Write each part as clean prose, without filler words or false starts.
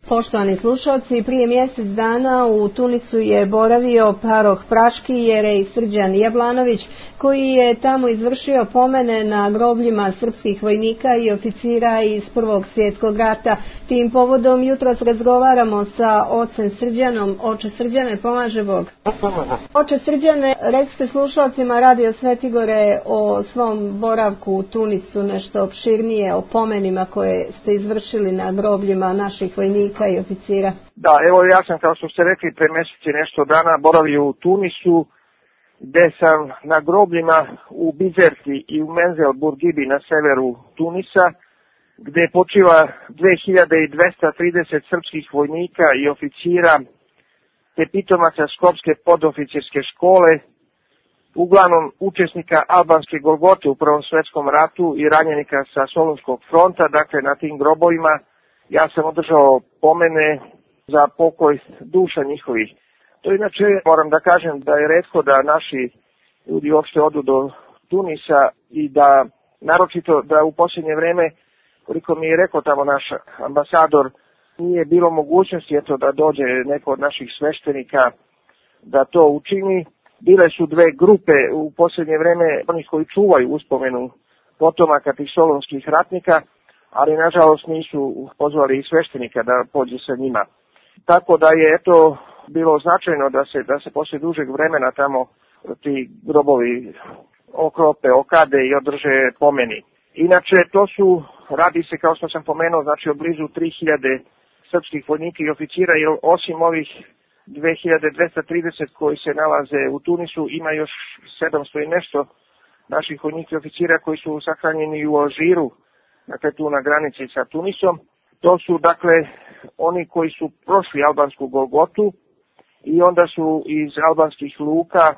Poštovani slušalci, prije mjesec dana u Tunisu je boravio paroh Praški jerej Srđan Jablanović, koji je tamo izvršio pomene na grobljima srpskih vojnika i oficira iz Prvog svjetskog rata. Tim povodom jutros razgovaramo sa ocem Srđanom. Oče Srđane, pomaže Bog. Oče Srđane, recite slušalcima Radio Svetigore o svom boravku u Tunisu, nešto opširnije o pomenima koje ste izvršili na grobljima naših vojnika i oficira. Da, evo ja sam, kao što ste rekli, pre mjeseci nešto dana boravio u Tunisu, gde sam na grobljima u Bizerti i u Menzel Burgibi na severu Tunisa, gde počiva 2230 srpskih vojnika i oficira, te pitomaca Skopske podoficirske škole, uglavnom učesnika albanske Golgote u Prvom svjetskom ratu i ranjenika sa Solunskog fronta. Dakle, na tim grobovima ja sam održao pomene za pokoj duša njihovih. To inače, moram da kažem da je retko da naši ljudi uopšte odu do Tunisa i da, naročito da u posljednje vreme, koliko mi je rekao tamo naš ambasador, nije bilo mogućnosti da dođe neko od naših sveštenika da to učini. Bile su dve grupe u posljednje vreme, onih koji čuvaju uspomenu potomaka tih solunskih ratnika, ali nažalost nisu pozvali i sveštenika da pođe sa njima. Tako da je bilo značajno da se poslije dužeg vremena tamo ti grobovi okrope, okade i održe pomeni. Inače, radi se, kao što sam pomenuo, znači o blizu 3000 srpskih vojnika i oficira, jer osim ovih 2230 koji se nalaze u Tunisu, ima još 700 i nešto naših vojnika i oficira koji su sahranjeni u Alžiru, dakle tu na granici sa Tunisom. To su dakle oni koji su prošli albansku Golgotu i onda su iz albanskih luka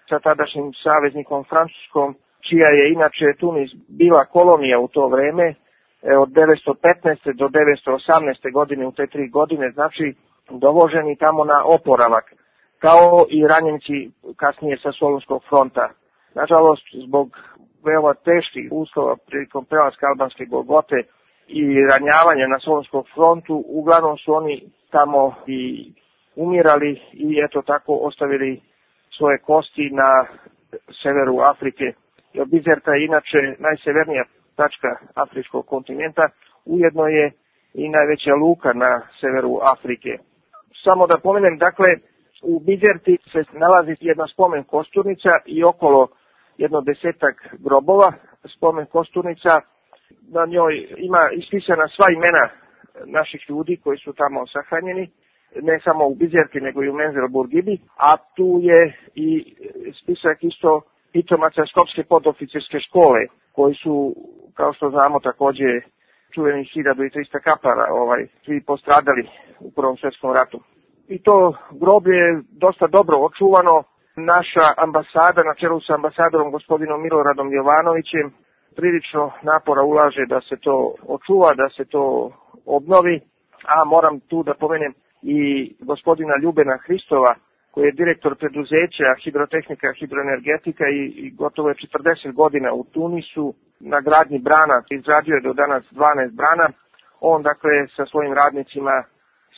sa tadašnjim saveznikom Francuskom, čija je inače Tunis bila kolonija u to vreme, od 915. do 918. godine, u te 3 godine, znači dovoženi tamo na oporavak, kao i ranjenici kasnije sa Solunskog fronta. Nažalost, zbog veoma teških uslova prilikom prelaska albanske Golgote i ranjavanja na Solunskom frontu, uglavnom su oni tamo i umirali i tako ostavili svoje kosti na severu Afrike. Jer Bizerta je inače najsevernija tačka afričkog kontinenta, ujedno je i najveća luka na severu Afrike. Samo da pomenem, dakle, u Bizerti se nalazi jedna spomen kosturnica i okolo jedno 10-ak grobova spomen kosturnica. Na njoj ima ispisana sva imena naših ljudi koji su tamo sahranjeni, ne samo u Bizerti nego i u Menzel Burgibi, a tu je i spisak isto pitomaca Skopske podoficirske škole, koji su, kao što znamo, također čuveni 1300 kapara, svi postradali u Prvom svjetskom ratu. I to groblje je dosta dobro očuvano. Naša ambasada, na čelu sa ambasadorom gospodinom Miloradom Jovanovićem, prilično napora ulaže da se to očuva, da se to obnovi, a moram tu da pomenem i gospodina Ljubena Hristova, koji je direktor preduzeća Hidrotehnika, Hidroenergetika i gotovo je 40 godina u Tunisu na gradnji brana, izradio je do danas 12 brana. On dakle sa svojim radnicima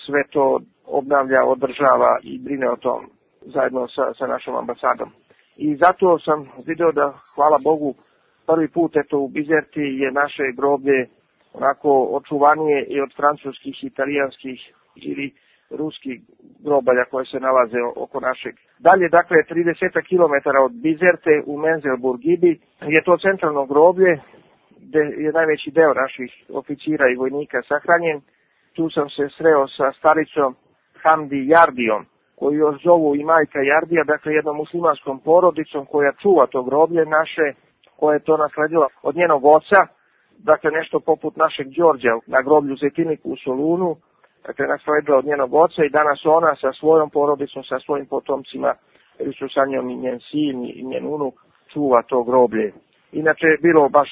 sve to obnavlja, održava i brine o tom zajedno sa našom ambasadom. I zato sam vidio da, hvala Bogu, prvi put u Bizerti je naše groblje onako očuvanije i od francuskih, italijanskih ili ruskih grobalja koje se nalaze oko našeg. Dalje, dakle, 30 km od Bizerte u Menzel Burgibi je to centralno groblje gdje je najveći deo naših oficira i vojnika sahranjen. Tu sam se sreo sa staricom Hamdi Jardijom, koju još zovu i majka Jardija, dakle jednom muslimanskom porodicom koja čuva to groblje naše, koja je to nasledila od njenog oca, dakle nešto poput našeg Đorđa na groblju Zetiniku u Solunu, dakle nasledila od njenog oca i danas ona sa svojom porodicom, sa svojim potomcima, jer su sa njom i njen sin i njen unuk, čuva to groblje. Inače je bilo baš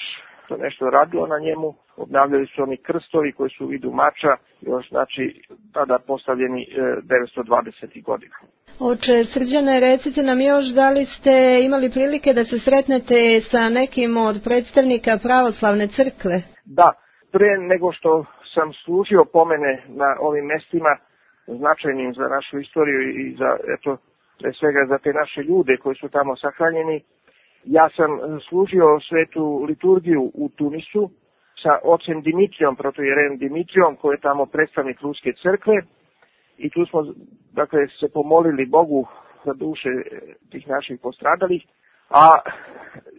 to nešto radilo na njemu, obnavljali su oni krstovi koji su u vidu mača, još znači tada postavljeni 920. godina. Oče Srđane, recite nam još da li ste imali prilike da se sretnete sa nekim od predstavnika pravoslavne crkve? Da, Pre nego što sam služio pomene na ovim mestima značajnim za našu istoriju i za, eto, pre svega za te naše ljude koji su tamo sahranjeni, ja sam služio svetu liturgiju u Tunisu sa ocem Dimitrijom, protojerejem Dimitrijom, koji je tamo predstavnik Ruske crkve, i tu smo, dakle, se pomolili Bogu za duše tih naših postradalih, a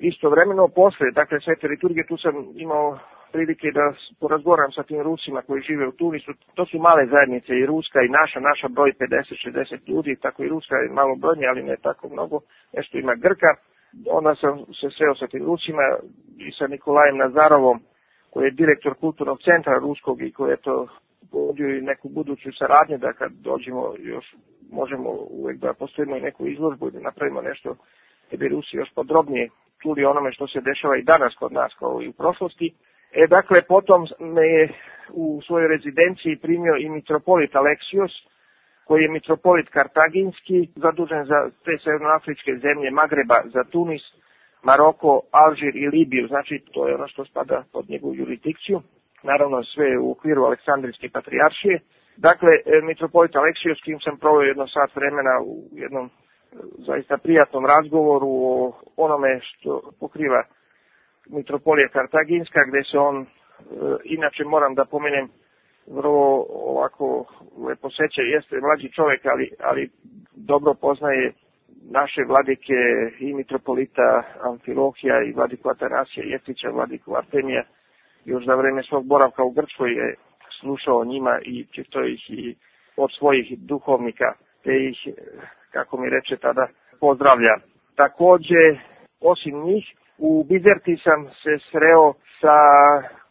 istovremeno posle, dakle, svete liturgije, tu sam imao prilike da porazgovaram sa tim Rusima koji žive u Tunisu. To su male zajednice, i ruska i naša broj 50-60 ljudi, tako i ruska je malo brojnija, ali ne tako mnogo, nešto ima Grka. Onda sam se sreo sa tim Rusima i sa Nikolajem Nazarovom, koji je direktor kulturnog centra ruskog i koji je to povodio i neku buduću saradnju, da kad dođemo još možemo uvek da postavimo i neku izložbu i da napravimo nešto da bi Rusi još podrobnije čuli onome što se dešava i danas kod nas kao i u prošlosti. Dakle, potom me je u svojoj rezidenciji primio i mitropolit Aleksios, koji je mitropolit kartaginski, zadužen za te severnoafričke zemlje Magreba, za Tunis, Maroko, Alžir i Libiju. Znači, to je ono što spada pod njegovu jurisdikciju. Naravno, sve u okviru Aleksandrijske patrijaršije. Dakle, mitropolit Aleksios, s kim sam proveo jedno sat vremena u jednom zaista prijatnom razgovoru o onome što pokriva mitropolija kartaginska, gde se on, inače moram da pomenem, vrlo ovako lepo seća, jeste mlađi čovjek, ali dobro poznaje naše vladike i mitropolita Amfilohija i vladiku Atanasija Jeftića, vladiku Artemija. Još za vreme svog boravka u Grčkoj je slušao njima i čito ih i od svojih duhovnika, te ih, kako mi reče tada, pozdravlja. Takođe, osim njih, u Bizerti sam se sreo sa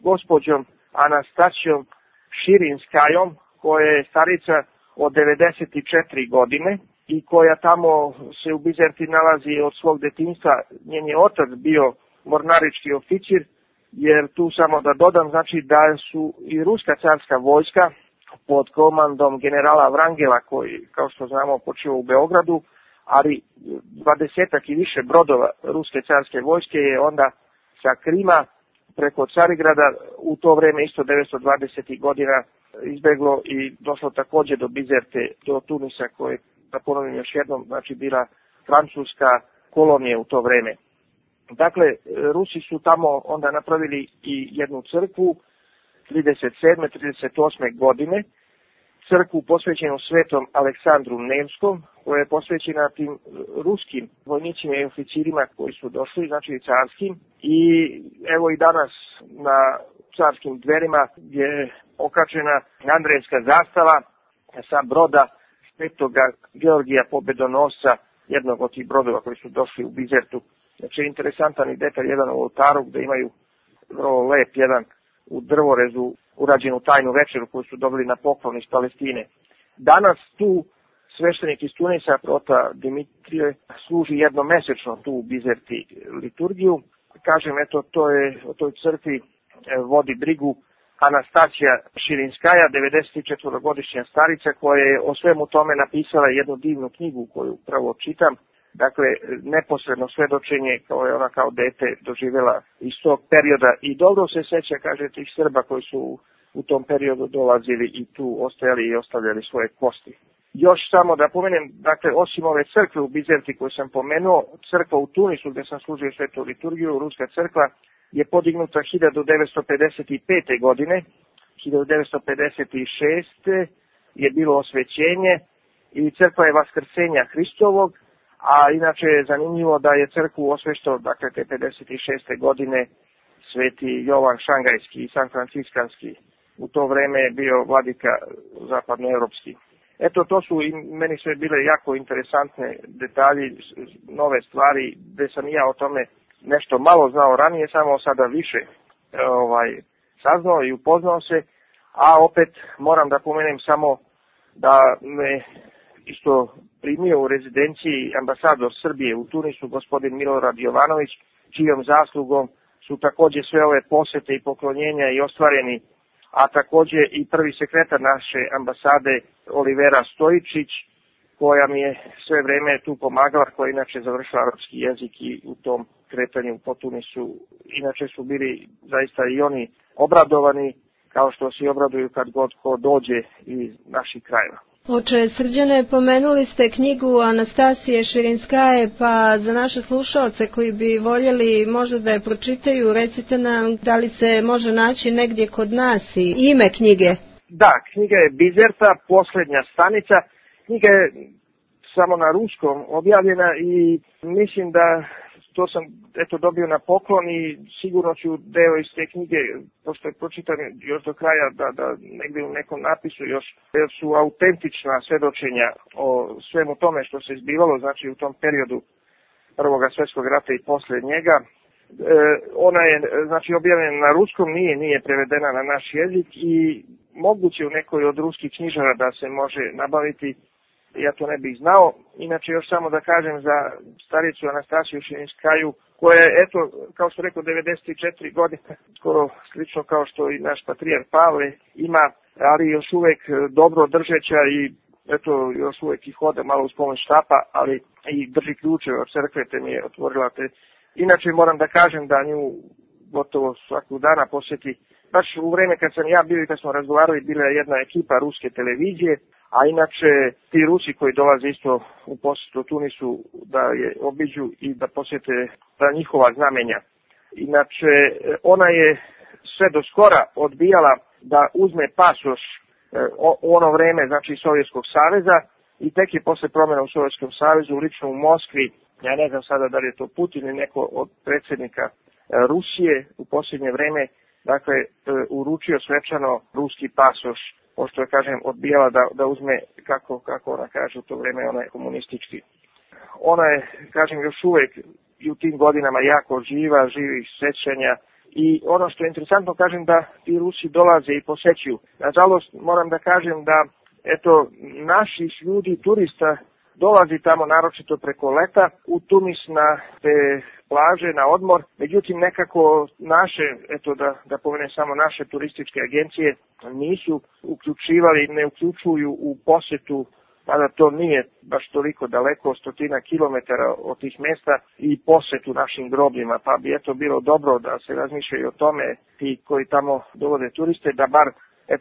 gospođom Anastasijom Širinskajom, koja je starica od 94 godine i koja tamo se u Bizerti nalazi od svog detinjstva. Njen je otac bio mornarički oficir, jer tu samo da dodam, znači da su i ruska carska vojska pod komandom generala Vrangela, koji, kao što znamo, počeo u Beogradu, ali 20 i više brodova ruske carske vojske je onda sa Krima preko Carigrada u to vreme isto 920. godina izbeglo i došlo takođe do Bizerte, do Tunisa, koje, da ponovim još jednom, znači bila francuska kolonija u to vreme. Dakle, Rusi su tamo onda napravili i jednu crkvu 37. 38. godine, crkvu posvećenu svetom Aleksandru Nevskom, koja je posvećena tim ruskim vojnicima i oficirima koji su došli, znači carskim. I evo i danas na carskim dverima je okačena Andrejska zastava sa broda Svetoga Georgija Pobedonosca, jednog od tih brodova koji su došli u Bizertu. Znači, interesantan i detalj jedan u oltaru gde imaju vrlo lep jedan u drvorezu urađenu tajnu večeru koju su dobili na poklon iz Palestine. Danas tu sveštenik iz Tunisa, prota Dimitrije, služi jednomesečno tu u Bizerti liturgiju. Kažem, eto, to je o toj crkvi vodi brigu Anastasija Širinskaja, 94-godišnja starica, koja je o svemu tome napisala jednu divnu knjigu koju upravo čitam. Dakle, neposredno svedočenje kao je ona kao dete doživjela iz tog perioda i dobro se seća, kaže, tih Srba koji su u tom periodu dolazili i tu ostajali i ostavljali svoje kosti. Još samo da pomenem, dakle, osim ove crkve u Bizerti koju sam pomenuo, crkva u Tunisu gde sam služio svetu liturgiju, ruska crkva, je podignuta 1955. godine, 1956. je bilo osvećenje i crkva je Vaskrsenja Hristovog, a inače je zanimljivo da je crkvu osveštao, dakle, te 56. godine sveti Jovan Šangajski i San Franciskanski. U to vreme je bio vladika zapadnoevropski. Eto, to su i meni sve bile jako interesantne detalji, nove stvari, gde sam ja o tome nešto malo znao ranije, samo sada više saznao i upoznao se, a opet moram da pomenem samo da me isto primio u rezidenciji ambasador Srbije u Tunisu, gospodin Milorad Jovanović, čijom zaslugom su takođe sve ove posete i poklonjenja i ostvareni, a takođe i prvi sekretar naše ambasade Olivera Stojičić, koja mi je sve vreme tu pomagala, koja inače završila arapski jezik i u tom kretanju po Tunisu. Inače su bili zaista i oni obradovani, kao što se obraduju kad god ko dođe iz naših krajeva. Oče Srđane, pomenuli ste knjigu Anastasije Širinskaje, pa za naše slušaoce koji bi voljeli možda da je pročitaju, recite nam da li se može naći negdje kod nas i ime knjige. Da, knjiga je Bizerta, posljednja stanica. Knjiga je samo na ruskom objavljena i mislim da to sam dobio na poklon i sigurno ću deo iz te knjige, pošto je pročitan još do kraja, da negdje u nekom napisu još, jer su autentična svedočenja o svemu tome što se zbivalo, znači u tom periodu Prvog svjetskog rata i poslije njega. Ona je znači objavljena na ruskom, nije prevedena na naš jezik i moguće u nekoj od ruskih knjižara da se može nabaviti. Ja to ne bih znao. Inače, još samo da kažem za staricu Anastasiju Širinskaju, koja je, kao što rekao, 94 godine, skoro slično kao što i naš patrijar Pavle ima, ali još uvijek dobro držeća i još uvijek i hoda malo uz pomoć štapa, ali i drži ključeve od crkve, te mi je otvorila te. Inače, moram da kažem da nju gotovo svakog dana posjeti. Baš u vrijeme kad sam ja bio i kad smo razgovarali, bila je jedna ekipa ruske televizije, a inače ti Rusi koji dolaze isto u posjetu Tunisu da je obiđu i da posjete ta njihova znamenja. Inače, ona je sve do skora odbijala da uzme pasoš u ono vrijeme, znači Sovjetskog saveza, i tek je posle promjena u Sovjetskom savezu, lično u Moskvi, ja ne znam sada da li je to Putin ili neko od predsjednika Rusije u posljednje vrijeme, dakle, uručio svečano ruski pasoš, pošto je, kažem, odbijala da uzme, kako ona kaže, u to vrijeme ona je komunistički. Ona je, kažem, još uvijek i u tim godinama jako živa, živih sjećanja i ono što je interesantno, kažem, da ti Rusi dolaze i posećuju. Nažalost, moram da kažem da, naših ljudi, turista, dolazi tamo naročito preko leta u Tunis na te plaže, na odmor. Međutim, nekako naše, da pomenem samo naše turističke agencije, nisu uključivali, ne uključuju u posjetu, mada to nije baš toliko daleko, 100 kilometara od tih mjesta, i posjetu našim grobljima. Pa bi bilo dobro da se razmišljaju o tome, ti koji tamo dovode turiste, da bar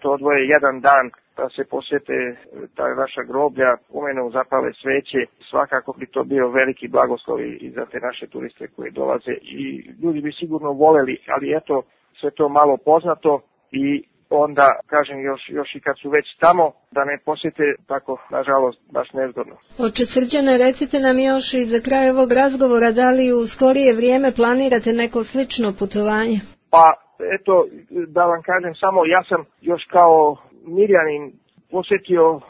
odvoje jedan dan da se posjete ta naša groblja, pomenu, zapale sveće. Svakako bi to bio veliki blagoslov i za te naše turiste koji dolaze i ljudi bi sigurno voljeli, ali sve to malo poznato i onda, kažem, još i kad su već tamo, da ne posjete tako, nažalost, baš nezgodno. Oče Srđane, recite nam još i za kraj ovog razgovora, da li u skorije vrijeme planirate neko slično putovanje? Pa, da vam kažem samo, ja sam još kao Mirjanin posjetio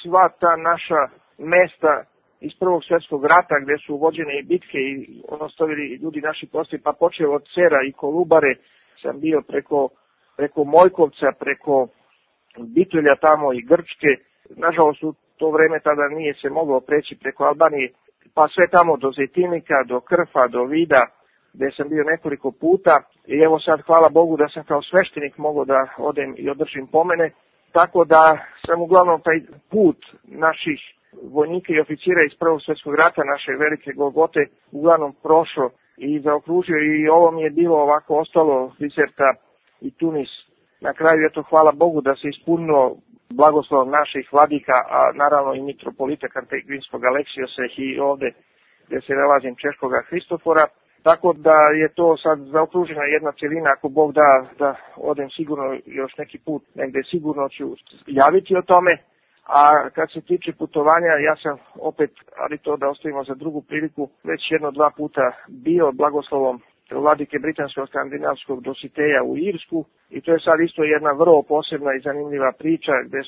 sva ta naša mesta iz Prvog svjetskog rata gdje su vođene i bitke i ostavili ljudi naši postoji, pa počeo od Cera i Kolubare, sam bio preko Mojkovca, preko Bitulja tamo i Grčke. Nažalost, u to vrijeme tada nije se moglo preći preko Albanije, pa sve tamo do Zetinika, do Krfa, do Vida, gdje sam bio nekoliko puta i evo sad, hvala Bogu, da sam kao sveštenik mogao da odem i održim pomene, tako da sam uglavnom taj put naših vojnika i oficira iz Prvog svjetskog rata, naše velike Golgote, uglavnom prošao i zaokružio i ovo mi je bilo ovako ostalo, Bizerta i Tunis. Na kraju, hvala Bogu da se ispunilo blagoslov naših vladika, a naravno i mitropolita Kantegrinskog Aleksijosa i ovdje gdje se nalazim Češkoga Hristofora. Tako da je to sad zaokružena jedna cjelina, ako Bog da odem sigurno još neki put, negdje sigurno ću javiti o tome. A kad se tiče putovanja, ja sam opet, ali to da ostavimo za drugu priliku, već 1-2 puta bio blagoslovom vladike britanskog skandinavskog Dositeja u Irsku i to je sad isto jedna vrlo posebna i zanimljiva priča gdje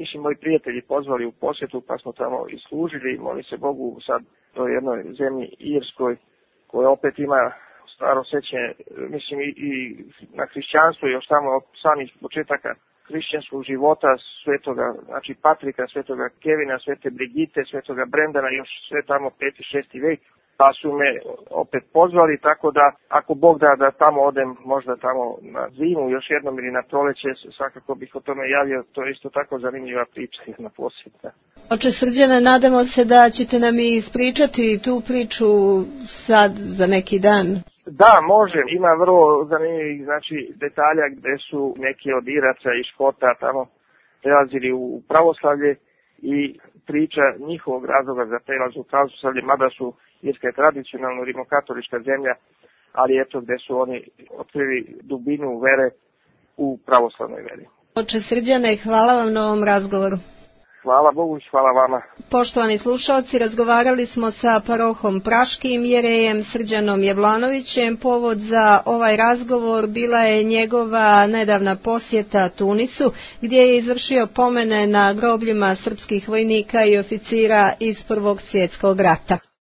su moji prijatelji pozvali u posjetu, pa smo tamo i služili i moli se Bogu sad toj jednoj zemlji Irskoj, koja opet ima staro sjećanje, mislim i na hrišćanstvo još tamo od samih početaka hrišćanskog života svetoga, znači Patrika, svetoga Kevina, svete Brigite, svetoga Brendana, još sve tamo 5. 6. vek, pa su me opet pozvali, tako da ako Bog da tamo odem, možda tamo na zimu još jednom ili na proleće, svakako bih o tome javio, to je isto tako zanimljiva priča, jedna posjetna. Oče Srđane, nadamo se da ćete nam i ispričati tu priču sad za neki dan. Da, može, ima vrlo zanimljivih detalja gde su neki od Iraca i Škota tamo prelazili u pravoslavlje i priča njihovog razloga za prelaz u pravoslavlje, mada su Irska je tradicionalno rimokatolička zemlja, ali eto gde su oni otkrili dubinu vere u pravoslavnoj veri. Oče Srđane, hvala vam na ovom razgovoru. Hvala Bogu i hvala vama. Poštovani slušalci, razgovarali smo sa parohom Praškim jerejem Srđanom Jablanovićem. Povod za ovaj razgovor bila je njegova nedavna posjeta Tunisu, gdje je izvršio pomene na grobljima srpskih vojnika i oficira iz Prvog svjetskog rata.